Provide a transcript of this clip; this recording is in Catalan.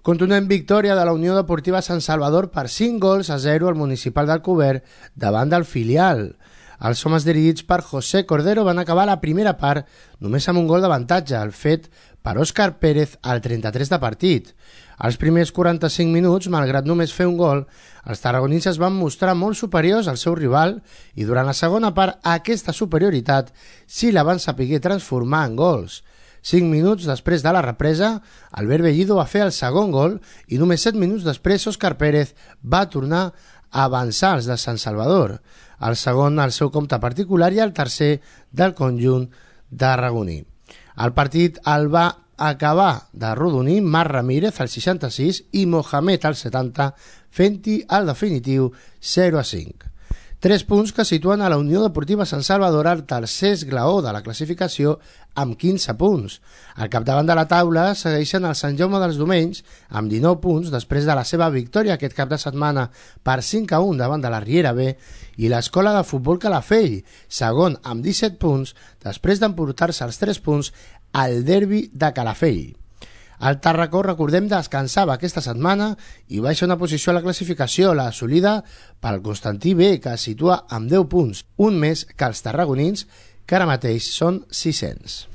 Contundent victòria de la Unió Deportiva Sant Salvador per 5-0 al Municipal d'Alcover davant del filial. Els homes dirigits per José Cordero van acabar la primera part només amb un gol d'avantatge, el fet per Òscar Pérez al 33 de partit. Als primers 45 minuts, malgrat només fer un gol, els tarragonins es van mostrar molt superiors al seu rival i durant la segona part aquesta superioritat sí la van saber transformar en gols. 5 minuts després de la represa, Albert Bellido va fer el segon gol i només 7 minuts després Òscar Pérez va tornar a avançar els de Sant Salvador. El segon al seu compte particular i el tercer del conjunt tarragoní. El partit el va acabar de rodonir Marc Ramírez al 66 i Mohamed al 70, fent-hi el definitiu 0-5. 3 punts que situen a la Unió Deportiva Sant Salvador al tercer esglaó de la classificació amb 15 punts. Al capdavant de la taula segueixen el Sant Jaume dels Domenys amb 19 punts després de la seva victòria aquest cap de setmana per 5-1 davant de la Riera B i l'Escola de Futbol Calafell, segon amb 17 punts després d'emportar-se els 3 punts al derbi de Calafell. El Tàrraco, recordem, descansava aquesta setmana i baixa una posició a la classificació, la assolida pel Constantí B, que es situa amb 10 punts, un més que els tarragonins, que ara mateix són 600.